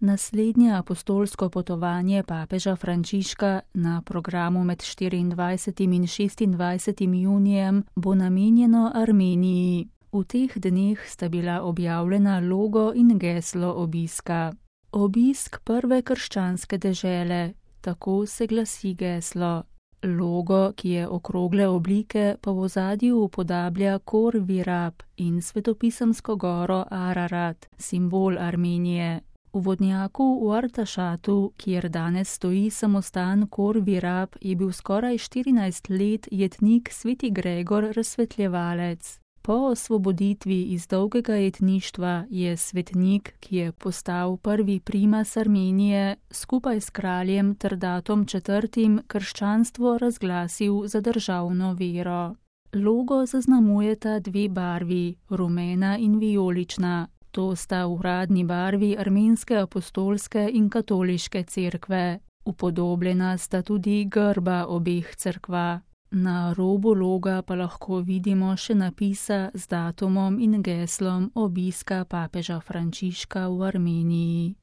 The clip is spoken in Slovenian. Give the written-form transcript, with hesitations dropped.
Naslednje apostolsko potovanje papeža Frančiška na programu med 24. in 26. junijem bo namenjeno Armeniji. V teh dneh sta bila objavljena logo in geslo obiska. Obisk prve krščanske dežele, tako se glasi geslo. Logo, ki je okrogle oblike, pa v ozadju upodablja Kor Virab in svetopisemsko goro Ararat, simbol Armenije. V vodnjaku v Artašatu, kjer danes stoji samostan Kor Virab, je bil skoraj 14 let jetnik sveti Gregor Razsvetljevalec. Po osvoboditvi iz dolgega jetništva je svetnik, ki je postal prvi primas Armenije, skupaj s kraljem Trdatom IV. Krščanstvo razglasil za državno vero. Logo zaznamujeta dve barvi, rumena in vijolična. To sta uradni barvi armenske apostolske in katoliške cerkve. Upodobljena sta tudi grba obeh cerkva. Na robu loga pa lahko vidimo še napisa z datumom in geslom obiska papeža Frančiška v Armeniji.